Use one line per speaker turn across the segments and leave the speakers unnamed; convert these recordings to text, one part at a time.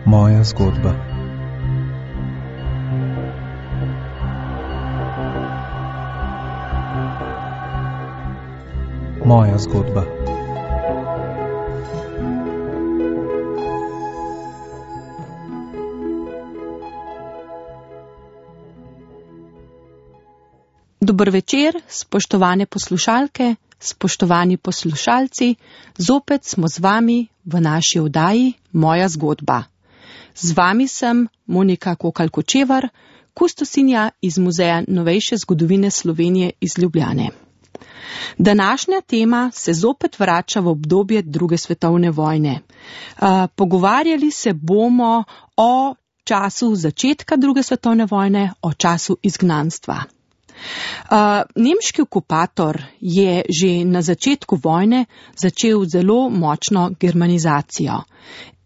Moja zgodba. Moja zgodba.
Dober večer, spoštovane poslušalke, spoštovani poslušalci, zopet smo z vami v naši oddaji Moja zgodba. Z vami sem Monika Kokalj-Kočevar, kustosinja iz Muzeja novejše zgodovine Slovenije iz Ljubljane. Današnja tema se zopet vrača v obdobje druge svetovne vojne. Pogovarjali se bomo o času začetka druge svetovne vojne, o času izgnanstva. Nemški okupator je že na začetku vojne začel zelo močno germanizacijo.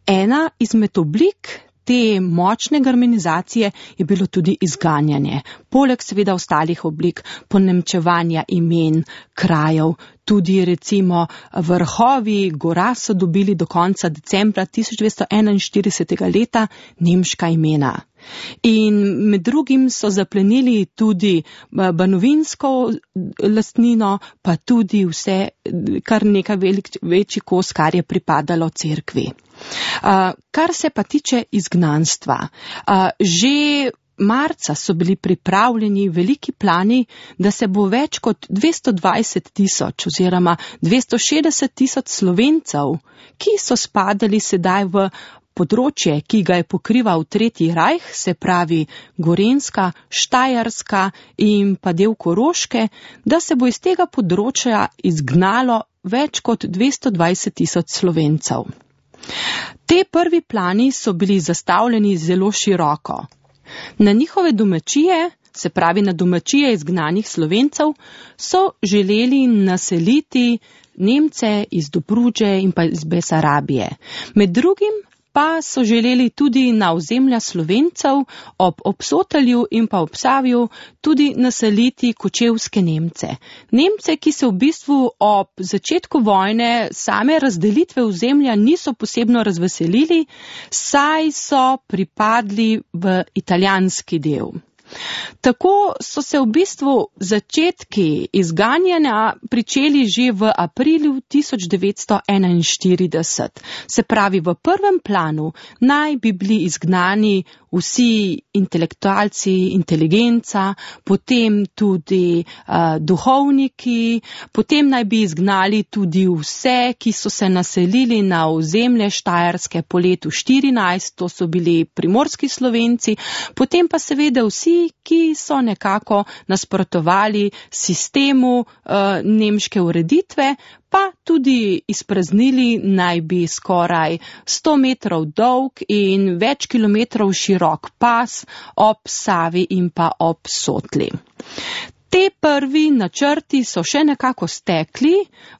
Ena izmed oblik te močne germanizacije je bilo tudi izganjanje, poleg seveda ostalih oblik ponemčevanja imen, krajev. Tudi recimo vrhovi gora so dobili do konca decembra 1941. leta nemška imena. In med drugim so zaplenili tudi banovinsko lastnino, pa tudi vse, kar nekaj večji kos, kar je pripadalo cerkvi. Kar se pa tiče izgnanstva, že marca so bili pripravljeni veliki plani, da se bo več kot 220,000 oziroma 260,000 Slovencev, ki so spadali sedaj v področje, ki ga je pokrival Tretji rajh, se pravi Gorenjska, Štajerska in pa del Koroške, da se bo iz tega področja izgnalo več kot 220,000 Slovencev. Te prvi plani so bili zastavljeni zelo široko. Na njihove domačije, se pravi na domačije izgnanih Slovencev, so želeli naseliti Nemce iz Dobruđe in pa iz Besarabije. Med drugim pa so želeli tudi na ozemlja Slovencev ob Obsotelju in pa ob Savju tudi naseliti kočevske Nemce. Nemce, ki se v bistvu ob začetku vojne same razdelitve ozemlja niso posebno razveselili, saj so pripadli v italijanski del. Tako so se v bistvu začetki izganjanja pričeli že v aprilu 1941. Se pravi, v prvem planu naj bi bili izgnani vsi intelektualci, inteligenca, potem tudi duhovniki, potem naj bi izgnali tudi vse, ki so se naselili na ozemlje Štajerske po letu 14, to so bili primorski Slovenci, potem pa seveda vsi, ki so nekako nasprotovali sistemu nemške ureditve, pa tudi izpraznili naj bi skoraj 100 metrov dolg in več kilometrov širok pas ob Savi in pa ob Sotli. Te prvi načrti so še nekako stekli,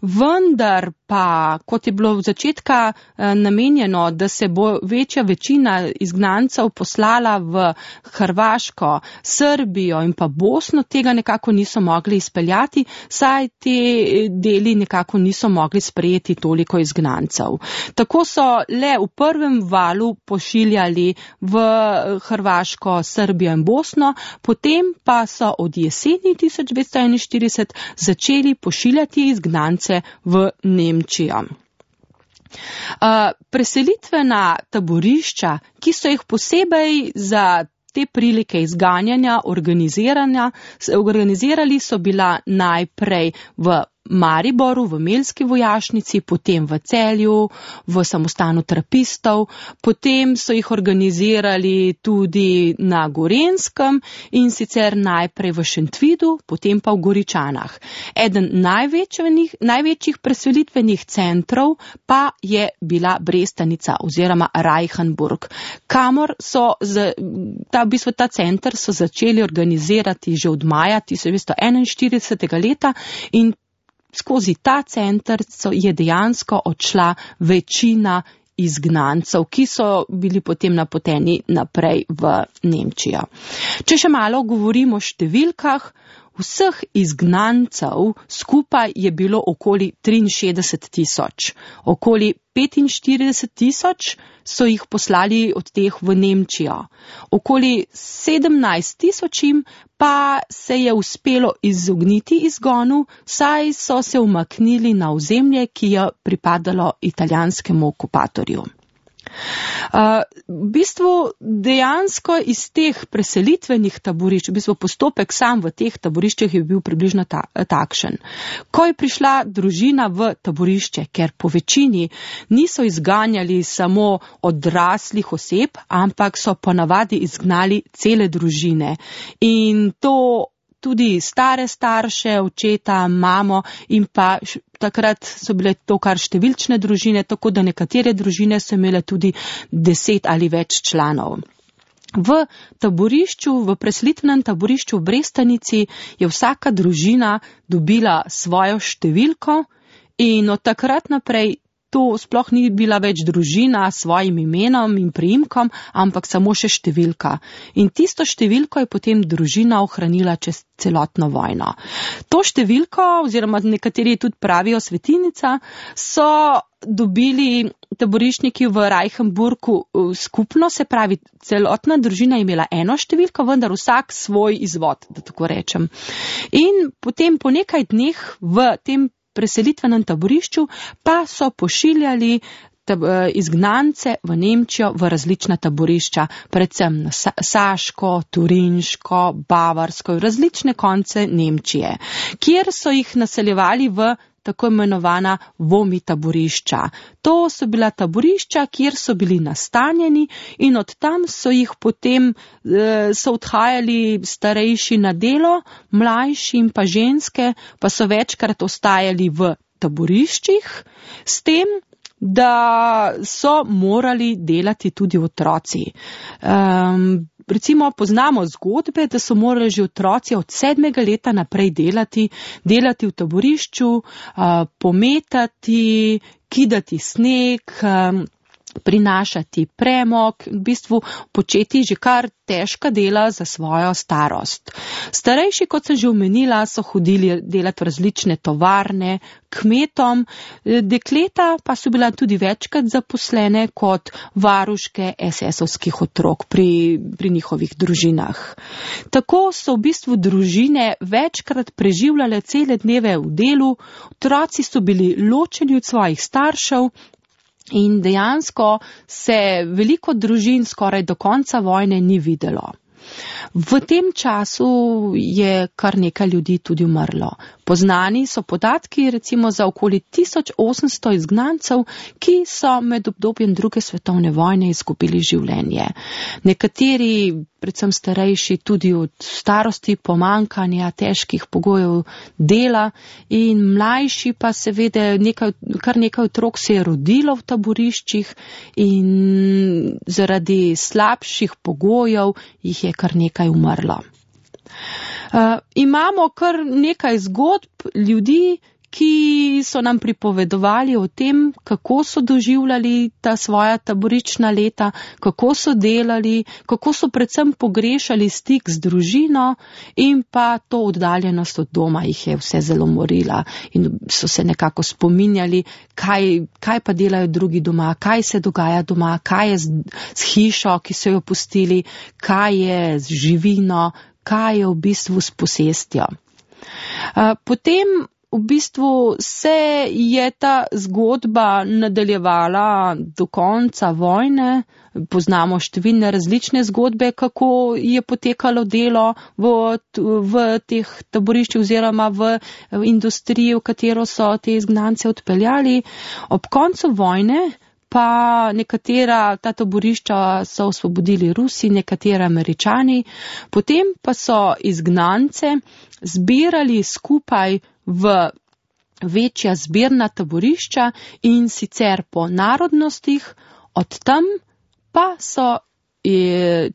vendar pa, kot je bilo v začetka namenjeno, da se bo večja večina izgnancev poslala v Hrvaško, Srbijo in pa Bosno, tega nekako niso mogli izpeljati, saj te deli nekako niso mogli sprejeti toliko izgnancev. Tako so le v prvem valu pošiljali v Hrvaško, Srbijo in Bosno, potem pa so od jeseni 1941 začeli pošiljati izgnance v Nemčijo. Preselitvena taborišča, ki so jih posebej za te prilike izganjanja organizirali, so bila najprej v Mariboru, v Melski vojašnici, potem v Celju, v samostanu trapistov, potem so jih organizirali tudi na Gorenjskem in sicer najprej v Šentvidu, potem pa v Goričanah. Eden največjih preselitvenih centrov pa je bila Brestanica oziroma Reichenburg, kamor so ta center so začeli organizirati že od maja 1941. leta in skozi ta center je dejansko odšla večina izgnancev, ki so bili potem napoteni naprej v Nemčijo. Če še malo govorimo o številkah, vseh izgnancev skupaj je bilo okoli 63,000. Okoli 45,000 so jih poslali od teh v Nemčijo. Okoli 17,000 pa se je uspelo izogniti izgonu, saj so se umaknili na ozemlje, ki je pripadalo italijanskemu okupatorju. V bistvu dejansko iz teh preselitvenih taborišč, v bistvu postopek sam v teh taboriščih je bil približno takšen. Ko je prišla družina v taborišče, ker po večini niso izganjali samo odraslih oseb, ampak so ponavadi izgnali cele družine. In to tudi stare starše, očeta, mamo in pa takrat so bile to kar številčne družine, tako da nekatere družine so imele tudi 10 ali več članov. V taborišču, v preselitvenem taborišču v Brestanici je vsaka družina dobila svojo številko in od takrat naprej to sploh ni bila več družina s svojim imenom in priimkom, ampak samo še številka. In tisto številko je potem družina ohranila čez celotno vojno. To številko, oziroma nekateri tudi pravijo svetinica, so dobili taboriščniki v Reichenburgu skupno, se pravi, celotna družina je imela eno številko, vendar vsak svoj izvod, da tako rečem. In potem po nekaj dneh v tem preselitvenem taborišču pa so pošiljali izgnance v Nemčijo v različna taborišča, predvsem na Saško, Turinško, Bavarsko, različne konce Nemčije, kjer so jih naseljevali v tako imenovana vomi taborišča. To so bila taborišča, kjer so bili nastanjeni in od tam so jih potem so odhajali starejši na delo, mlajši in pa ženske pa so večkrat ostajali v taboriščih, s tem, da so morali delati tudi otroci. Recimo poznamo zgodbe, da so morali že otroci od 7. leta naprej delati v taborišču, pometati, kidati sneg, prinašati premog, v bistvu početi že kar težka dela za svojo starost. Starejši, kot sem že omenila, so hodili delati v različne tovarne, kmetom, dekleta pa so bila tudi večkrat zaposlene kot varuške SS-ovskih otrok pri njihovih družinah. Tako so v bistvu družine večkrat preživljale cele dneve v delu, otroci so bili ločeni od svojih staršev, in dejansko se veliko družin skoraj do konca vojne ni videlo. V tem času je kar nekaj ljudi tudi umrlo. Poznani so podatki recimo za okoli 1800 izgnancev, ki so med obdobjem druge svetovne vojne izgubili življenje. Nekateri, predvsem starejši, tudi od starosti, pomankanja, težkih pogojev dela, in mlajši pa seveda kar nekaj otrok se je rodilo v taboriščih in zaradi slabših pogojev jih je kar nekaj umrlo. Imamo kar nekaj zgodb ljudi, ki so nam pripovedovali o tem, kako so doživljali ta svoja taboriščna leta, kako so delali, kako so predvsem pogrešali stik z družino in pa to oddaljenost od doma jih je vse zelo morila in so se nekako spominjali, kaj pa delajo drugi doma, kaj se dogaja doma, kaj je z hišo, ki so jo pustili, kaj je z živino, kaj je v bistvu s posestjo. Potem v bistvu se je ta zgodba nadaljevala do konca vojne. Poznamo številne različne zgodbe, kako je potekalo delo v teh taboriščih oziroma v industriji, v katero so te izgnance odpeljali. Ob koncu vojne pa nekatera ta taborišča so osvobodili Rusi, nekatera Američani, potem pa so izgnance zbirali skupaj v večja zbirna taborišča in sicer po narodnostih, od tam pa so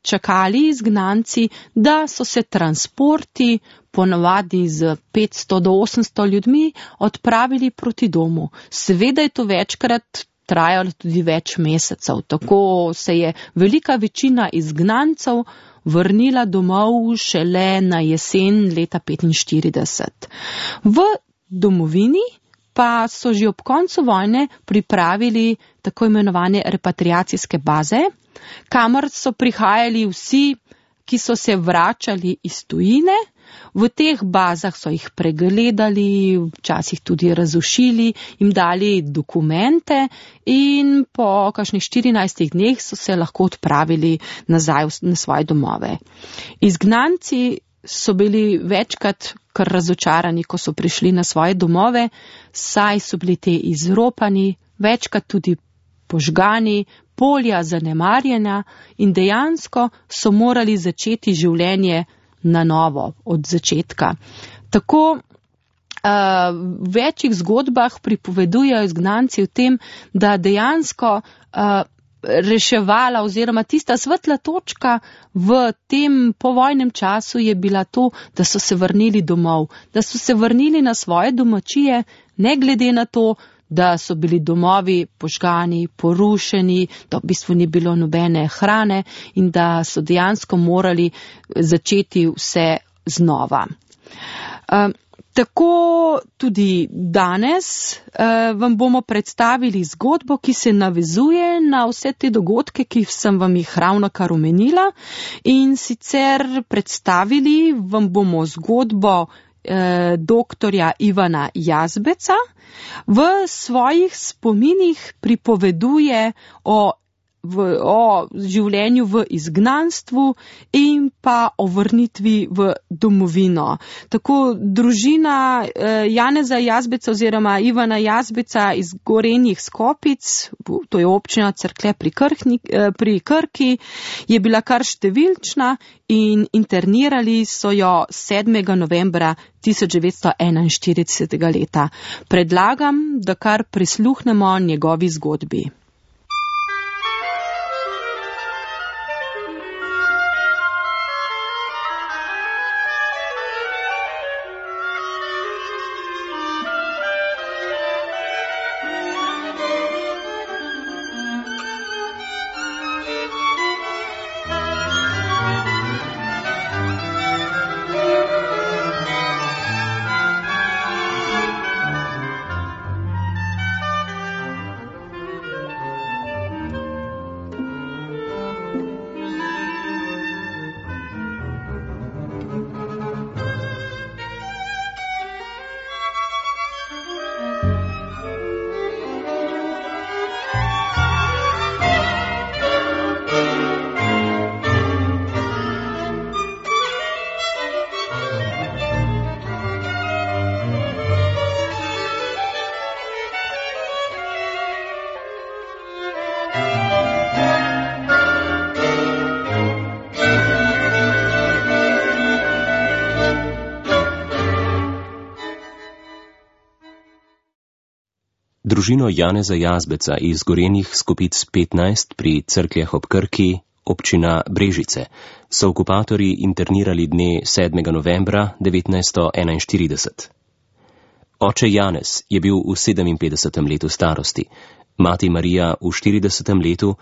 čakali izgnanci, da so se transporti ponavadi z 500 do 800 ljudmi odpravili proti domu. Seveda je to večkrat trajalo tudi več mesecev, tako se je velika večina izgnancev vrnila domov šele na jesen leta 1945. V domovini pa so že ob koncu vojne pripravili tako imenovane repatriacijske baze, kamor so prihajali vsi, ki so se vračali iz tujine. V teh bazah so jih pregledali, včasih tudi razušili, jim dali dokumente in po kakšnih 14 dneh so se lahko odpravili nazaj na svoje domove. Izgnanci so bili večkrat kar razočarani, ko so prišli na svoje domove, saj so bili te izropani, večkrat tudi požgani, polja zanemarjena in dejansko so morali začeti življenje na novo, od začetka. Tako v večjih zgodbah pripovedujejo izgnanci o tem, da dejansko reševala oziroma tista svetla točka v tem povojnem času je bila to, da so se vrnili domov, da so se vrnili na svoje domačije, ne glede na to, da so bili domovi požgani, porušeni, da v bistvu ni bilo nobene hrane in da so dejansko morali začeti vse znova. Tako tudi danes vam bomo predstavili zgodbo, ki se navezuje na vse te dogodke, ki sem vam jih ravnokar omenila, in sicer predstavili vam bomo zgodbo doktorja Ivana Jazbeca. V svojih spominih pripoveduje o življenju v izgnanstvu in pa o vrnitvi v domovino. Tako družina Janeza Jazbeca oziroma Ivana Jazbeca iz Gorenjih Skopic, to je občina Cerklje pri Krki, je bila kar številčna in internirali so jo 7. novembra 1941. leta. Predlagam, da kar prisluhnemo njegovi zgodbi.
Družino Janeza Jazbeca iz Gorenjih Skopic 15 pri Cerkljah ob Krki, občina Brežice, so okupatorji internirali dne 7. novembra 1941. Oče Janez je bil v 57. letu starosti, mati Marija v 40. letu,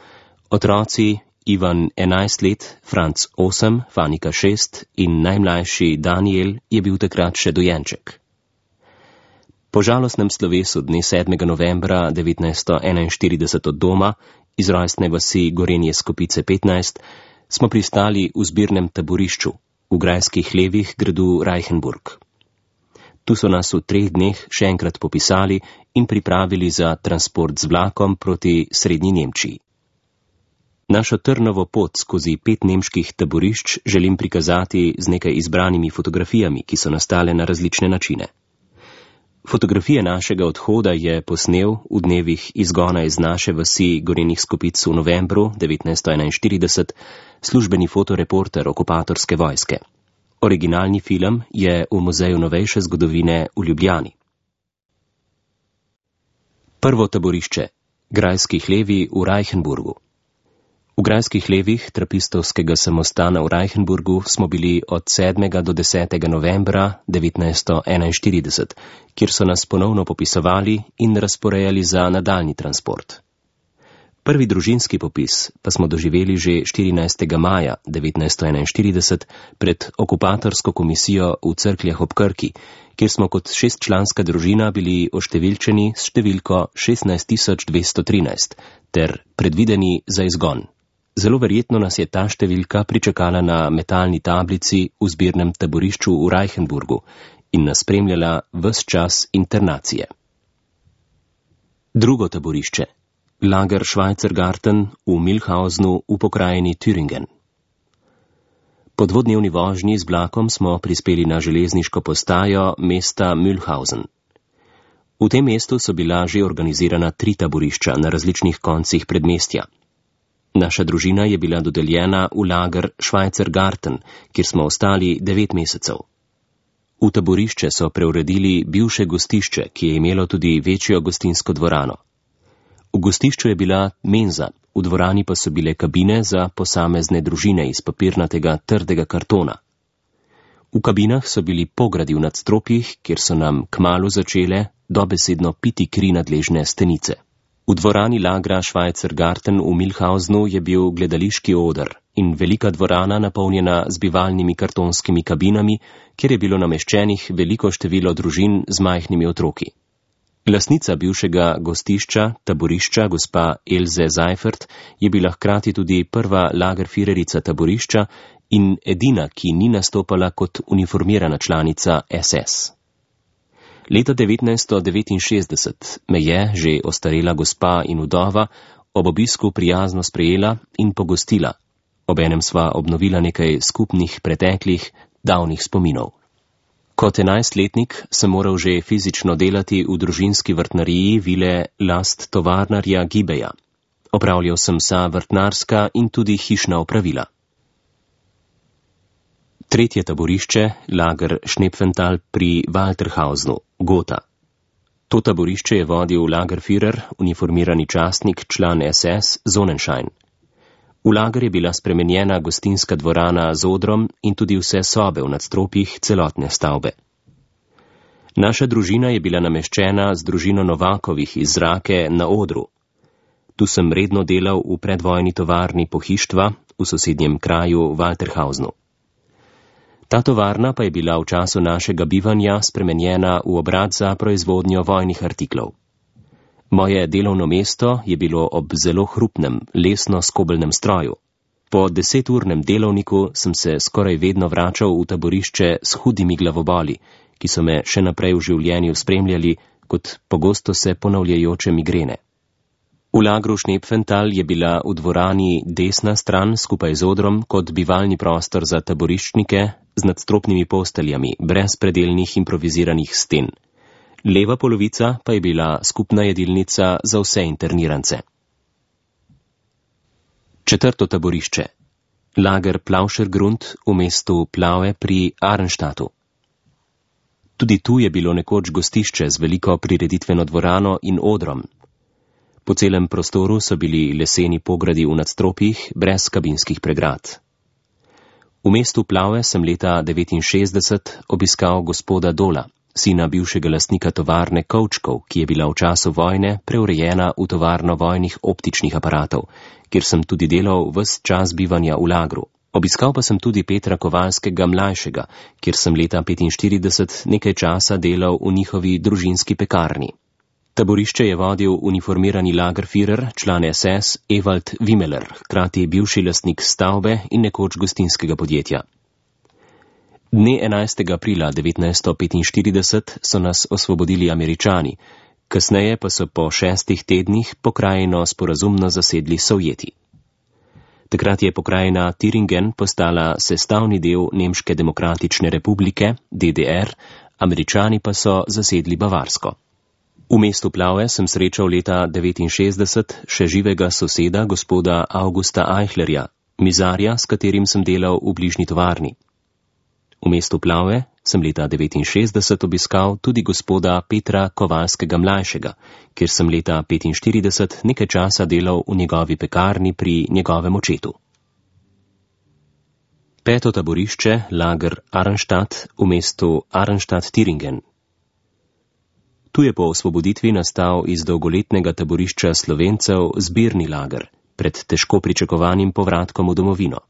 otroci Ivan 11 let, Franc 8, Fanika 6 in najmlajši Daniel je bil takrat še dojenček. Po žalostnem slovesu dne 7. novembra 1941 od doma, iz rojstne vasi Gorenje Skopice 15, smo pristali v zbirnem taborišču v grajskih hlevih gradu Reichenburg. Tu so nas v 3 dneh še enkrat popisali in pripravili za transport z vlakom proti Srednji Nemčiji. Našo trnovo pot skozi 5 nemških taborišč želim prikazati z nekaj izbranimi fotografijami, ki so nastale na različne načine. Fotografije našega odhoda je posnel v dnevih izgona iz naše vasi Gorenjih Skopic v novembru 1941 službeni fotoreporter okupatorske vojske. Originalni film je v Muzeju novejše zgodovine v Ljubljani. Prvo taborišče. Grajski hlevi v Reichenburgu. V grajskih hlevih trapistovskega samostana v Reichenburgu smo bili od 7. do 10. novembra 1941, kjer so nas ponovno popisovali in razporejali za nadaljni transport. Prvi družinski popis pa smo doživeli že 14. maja 1941 pred okupatorsko komisijo v Cerkljah ob Krki, kjer smo kot 6-članska družina bili oštevilčeni s številko 16213 ter predvideni za izgon. Zelo verjetno nas je ta številka pričakala na metalni tablici v zbirnem taborišču v Reichenburgu in nas spremljala ves čas internacije. Drugo taborišče. Lager Schweizergarten v Milhausenu v pokrajini Thüringen. Po dvodnevni vožnji z vlakom smo prispeli na železniško postajo mesta Milhausen. V tem mestu so bila že organizirana 3 taborišča na različnih koncih predmestja. Naša družina je bila dodeljena v lager Schweizergarten, kjer smo ostali 9 mesecev. V taborišče so preuredili bivše gostišče, ki je imelo tudi večjo gostinsko dvorano. V gostišču je bila menza, v dvorani pa so bile kabine za posamezne družine iz papirnatega trdega kartona. V kabinah so bili pogradi v nadstropjih, kjer so nam kmalu začele dobesedno piti kri nadležne stenice. V dvorani lagra Schweizergarten v Milhausenu je bil gledališki oder in velika dvorana napolnjena z bivalnimi kartonskimi kabinami, kjer je bilo nameščenih veliko število družin z majhnimi otroki. Lastnica bivšega gostišča, taborišča, gospa Elze Seifert, je bila hkrati tudi prva lagerführerica taborišča in edina, ki ni nastopala kot uniformirana članica SS. Leta 1969 me je, že ostarela gospa in vdova, ob obisku prijazno sprejela in pogostila. Obenem sva obnovila nekaj skupnih preteklih, davnih spominov. Kot 11-letnik sem moral že fizično delati v družinski vrtnariji vile last tovarnarja Gibeja. Opravljal sem vsa vrtnarska in tudi hišna opravila. Tretje taborišče, lager Schnepfenthal pri Walterhausenu, Gotha. To taborišče je vodil lagerführer, uniformirani častnik, član SS, Sonnenschein. V lager je bila spremenjena gostinska dvorana z odrom in tudi vse sobe v nadstropjih celotne stavbe. Naša družina je bila nameščena z družino Novakovih iz Rake na odru. Tu sem redno delal v predvojni tovarni pohištva v sosednjem kraju Walterhausenu. Ta tovarna pa je bila v času našega bivanja spremenjena v obrat za proizvodnjo vojnih artiklov. Moje delovno mesto je bilo ob zelo hrupnem, lesno-skobelnem stroju. Po 10-urnem delovniku sem se skoraj vedno vračal v taborišče s hudimi glavoboli, ki so me še naprej v življenju spremljali kot pogosto se ponavljajoče migrene. V lagru Schnepfenthal je bila v dvorani desna stran skupaj z odrom kot bivalni prostor za taboriščnike z nadstropnimi posteljami, brez predelnih improviziranih sten. Leva polovica pa je bila skupna jedilnica za vse internirance. Četrto taborišče. Lager Plauschergrund v mestu Plaue pri Arnstadtu. Tudi tu je bilo nekoč gostišče z veliko prireditveno dvorano in odrom. Po celem prostoru so bili leseni pogradi v nadstropjih brez kabinskih pregrad. V mestu Plaue sem leta 1969 obiskal gospoda Dola, sina bivšega lastnika tovarne kovčkov, ki je bila v času vojne preurejena v tovarno vojnih optičnih aparatov, kjer sem tudi delal ves čas bivanja v lagru. Obiskal pa sem tudi Petra Kovalskega mlajšega, kjer sem leta 1945 nekaj časa delal v njihovi družinski pekarni. Taborišče je vodil uniformirani lagerführer, član SS Ewald Wimmeler, hkrati bivši lastnik stavbe in nekoč gostinskega podjetja. Dne 11. aprila 1945 so nas osvobodili Američani, kasneje pa so po 6 tednih pokrajino sporazumno zasedli Sovjeti. Takrat je pokrajina Thüringen postala sestavni del Nemške demokratične republike, DDR, Američani pa so zasedli Bavarsko. V mestu Plaue sem srečal leta 1969 še živega soseda gospoda Augusta Eichlerja, mizarja, s katerim sem delal v bližnji tovarni. V mestu Plaue sem leta 1969 obiskal tudi gospoda Petra Kovalskega mlajšega, kjer sem leta 1945 nekaj časa delal v njegovi pekarni pri njegovem očetu. Peto taborišče, lager Arnstadt v mestu Arnstadt-Thüringen. Tu je po osvoboditvi nastal iz dolgoletnega taborišča Slovencev zbirni lager pred težko pričakovanim povratkom v domovino.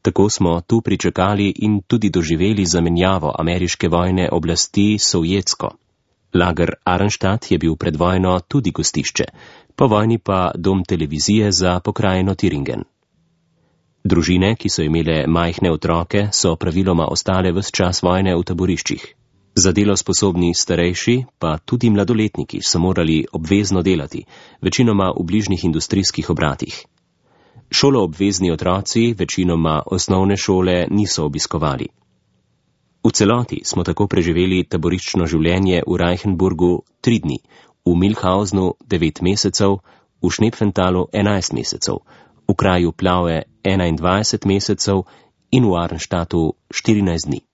Tako smo tu pričakali in tudi doživeli zamenjavo ameriške vojne oblasti s sovjetsko. Lager Arnstadt je bil pred vojno tudi gostišče, po vojni pa dom televizije za pokrajino Thüringen. Družine, ki so imele majhne otroke, so praviloma ostale ves čas vojne v taboriščih. Za delo sposobni starejši, pa tudi mladoletniki, so morali obvezno delati, večinoma v bližnjih industrijskih obratih. Šoloobvezni otroci večinoma osnovne šole niso obiskovali. V celoti smo tako preživeli taboriščno življenje v Reichenburgu 3 dni, v Milhausnu 9 mesecev, v Schnepfentalu 11 mesecev, v kraju Plaue 21 mesecev in v Arnstadtu 14 dni.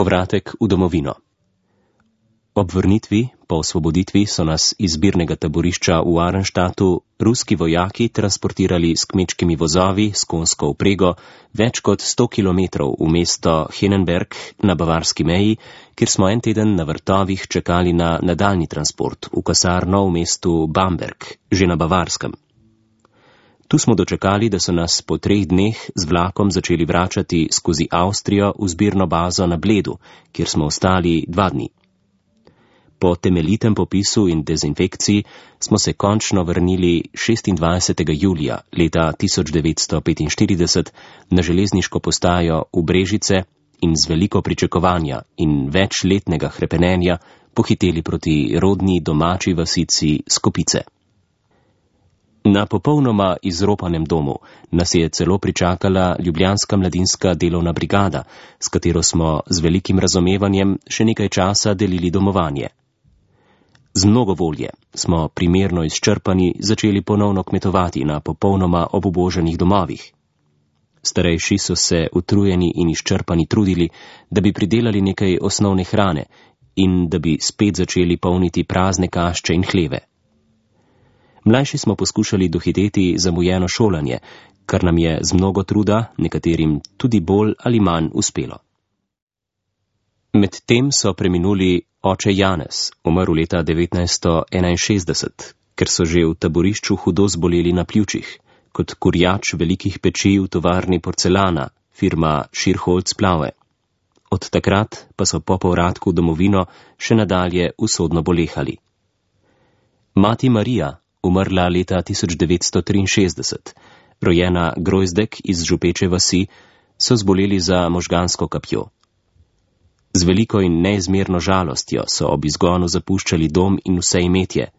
Povratek v domovino. Ob vrnitvi, po osvoboditvi, so nas iz zbirnega taborišča v Arnstadtu ruski vojaki transportirali s kmečkimi vozovi, s konjsko vprego, več kot 100 kilometrov v mesto Henenberg na bavarski meji, kjer smo en teden na vrtovih čakali na nadaljni transport v kasarno v mestu Bamberg, že na Bavarskem. Tu smo dočakali, da so nas po 3 dneh z vlakom začeli vračati skozi Avstrijo v zbirno bazo na Bledu, kjer smo ostali 2 dni. Po temeljitem popisu in dezinfekciji smo se končno vrnili 26. julija leta 1945 na železniško postajo v Brežice in z veliko pričakovanja in večletnega hrepenenja pohiteli proti rodni domači vasici Skopice. Na popolnoma izropanem domu nas je celo pričakala ljubljanska mladinska delovna brigada, s katero smo z velikim razumevanjem še nekaj časa delili domovanje. Z mnogo volje smo primerno izčrpani začeli ponovno kmetovati na popolnoma obubožanih domovih. Starejši so se utrujeni in izčrpani trudili, da bi pridelali nekaj osnovne hrane in da bi spet začeli polniti prazne kašče in hleve. Mlajši smo poskušali dohiteti zamujeno šolanje, kar nam je z mnogo truda, nekaterim tudi bolj ali manj uspelo. Medtem so preminuli oče Janez, umrl leta 1961, ker so že v taborišču hudo zboleli na pljučih, kot kurjač velikih peči v tovarni porcelana, firma Schirholz Plaue. Od takrat pa so po povratku v domovino še nadalje usodno bolehali. Mati Marija, umrla leta 1963, rojena Grojzdek iz Župeče vasi, so zboleli za možgansko kapjo. Z veliko in neizmerno žalostjo so ob izgonu zapuščali dom in vse imetje.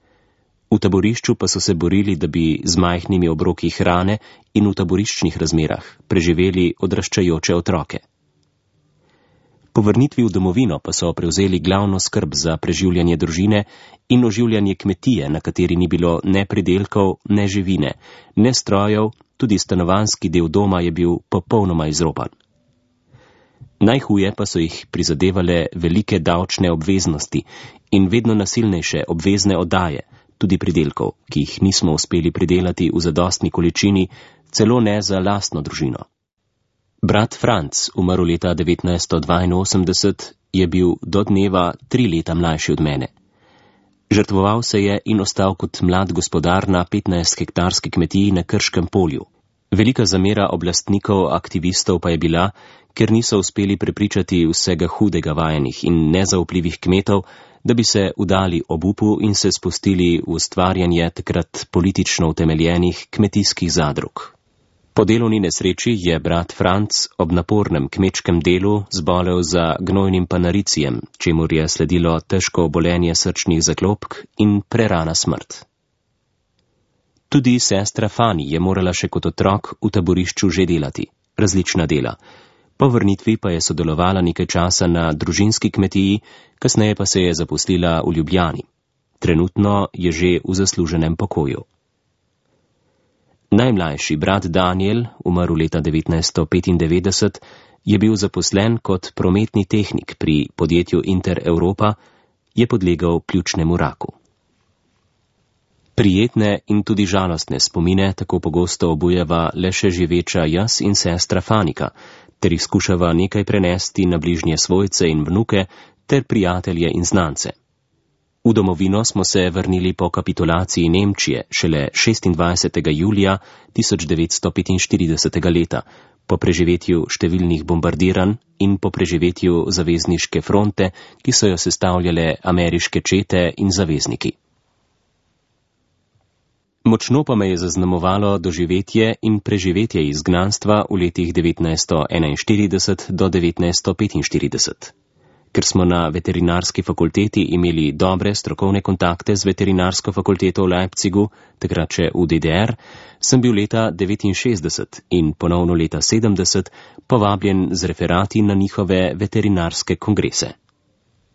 V taborišču pa so se borili, da bi z majhnimi obroki hrane in v taboriščnih razmerah preživeli odraščajoče otroke. Po vrnitvi v domovino pa so prevzeli glavno skrb za preživljanje družine in oživljanje kmetije, na kateri ni bilo ne pridelkov, ne živine, ne strojev, tudi stanovanjski del doma je bil popolnoma izropan. Najhuje pa so jih prizadevale velike davčne obveznosti in vedno nasilnejše obvezne oddaje, tudi pridelkov, ki jih nismo uspeli pridelati v zadostni količini, celo ne za lastno družino. Brat Franc, umrl leta 1982, je bil do dneva 3 leta mlajši od mene. Žrtvoval se je in ostal kot mlad gospodar na 15-hektarski kmetiji na Krškem polju. Velika zamera oblastnikov, aktivistov pa je bila, ker niso uspeli prepričati vsega hudega vajenih in nezaupljivih kmetov, da bi se udali obupu in se spustili v ustvarjanje takrat politično utemeljenih kmetijskih zadrug. Po delovni nesreči je brat Franc ob napornem kmečkem delu zbolel za gnojnim panaricijem, čemur je sledilo težko obolenje srčnih zaklopk in prerana smrt. Tudi sestra Fani je morala še kot otrok v taborišču že delati, različna dela. Po vrnitvi pa je sodelovala nekaj časa na družinski kmetiji, kasneje pa se je zaposlila v Ljubljani. Trenutno je že v zasluženem pokoju. Najmlajši brat Daniel, umrl leta 1995, je bil zaposlen kot prometni tehnik pri podjetju Inter Europa, je podlegel pljučnemu raku. Prijetne in tudi žalostne spomine tako pogosto obujeva le še živeča jaz in sestra Fanika, ter jih skušava nekaj prenesti na bližnje svojce in vnuke ter prijatelje in znance. V domovino smo se vrnili po kapitulaciji Nemčije šele 26. julija 1945. leta, po preživetju številnih bombardiranj in po preživetju zavezniške fronte, ki so jo sestavljale ameriške čete in zavezniki. Močno pa me je zaznamovalo doživetje in preživetje izgnanstva v letih 1941 do 1945. Ker smo na veterinarski fakulteti imeli dobre strokovne kontakte z veterinarsko fakulteto v Leipzigu, takrat še v DDR, sem bil leta 1969 in ponovno leta 1970 povabljen z referati na njihove veterinarske kongrese.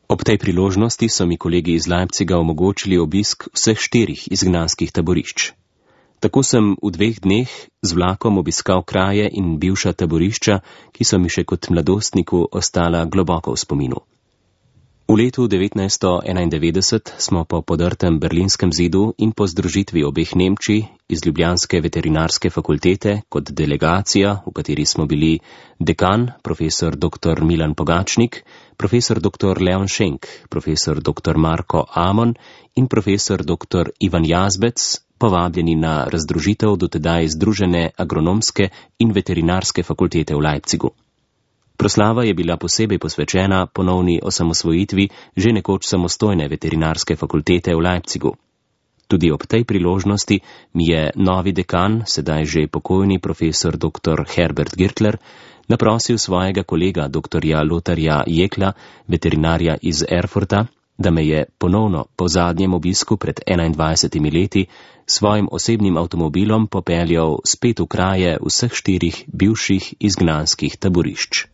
Ob tej priložnosti so mi kolegi iz Leipziga omogočili obisk vseh 4 izgnanskih taborišč. Tako sem v 2 dneh z vlakom obiskal kraje in bivša taborišča, ki so mi še kot mladostniku ostala globoko v spominu. V letu 1991 smo po podrtem berlinskem zidu in po združitvi obeh Nemčij iz Ljubljanske veterinarske fakultete kot delegacija, v kateri smo bili dekan, profesor dr. Milan Pogačnik, profesor dr. Leon Schenk, profesor dr. Marko Amon in profesor dr. Ivan Jazbec, povabljeni na razdružitev dotedaj združene agronomske in veterinarske fakultete v Leipzigu. Proslava je bila posebej posvečena ponovni osamosvojitvi že nekoč samostojne veterinarske fakultete v Leipzigu. Tudi ob tej priložnosti mi je novi dekan, sedaj že pokojni profesor dr. Herbert Girtler, naprosil svojega kolega dr. Lotarja Jekla, veterinarja iz Erfurta, da me je ponovno po zadnjem obisku pred 21 leti svojim osebnim avtomobilom popeljal spet v kraje vseh 4 bivših izgnanskih taborišč.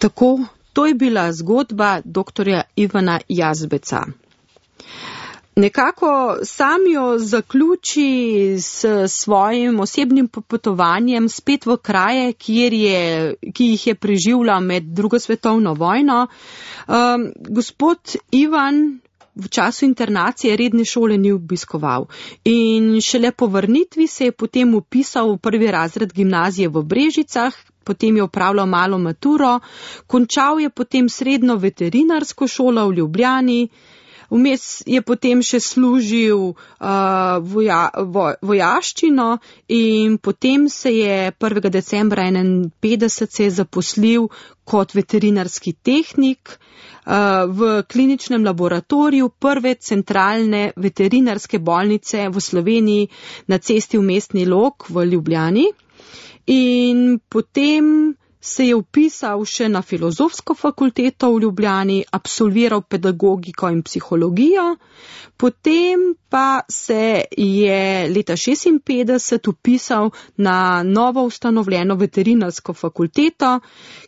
Tako, to je bila zgodba dr. Ivana Jazbeca. Nekako sam jo zaključi s svojim osebnim popotovanjem spet v kraje, ki jih je preživljal med drugo svetovno vojno. Gospod Ivan v času internacije redne šole ni obiskoval in šele po vrnitvi se je potem vpisal v prvi razred gimnazije v Brežicah, potem je opravljal malo maturo, končal je potem srednjo veterinarsko šolo v Ljubljani. Vmes je potem še služil vojaščino in potem se je 1. decembra 1951 se je zaposlil kot veterinarski tehnik v kliničnem laboratoriju prve centralne veterinarske bolnice v Sloveniji na cesti v Mestni Log v Ljubljani. In potem se je vpisal še na filozofsko fakulteto v Ljubljani, absolviral pedagogiko in psihologijo, potem pa se je leta 1956 vpisal na novo ustanovljeno veterinarsko fakulteto,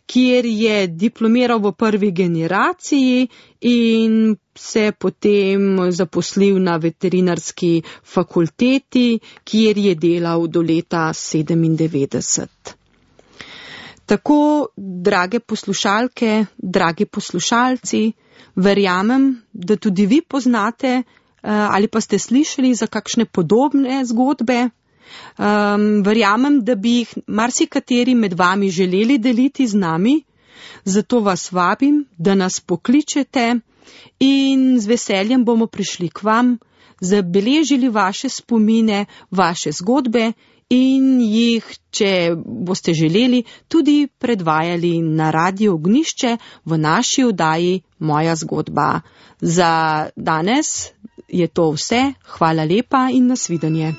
kjer je diplomiral v prvi generaciji in se potem zaposlil na veterinarski fakulteti, kjer je delal do leta 1997. Tako, drage poslušalke, dragi poslušalci, verjamem, da tudi vi poznate ali pa ste slišali za kakšne podobne zgodbe. Verjamem, da bi jih marsikateri med vami želeli deliti z nami, zato vas vabim, da nas pokličete in z veseljem bomo prišli k vam, zabeležili vaše spomine, vaše zgodbe in jih, če boste želeli, tudi predvajali na Radio Ognjišče v naši oddaji Moja zgodba. Za danes je to vse. Hvala lepa in nasvidenje.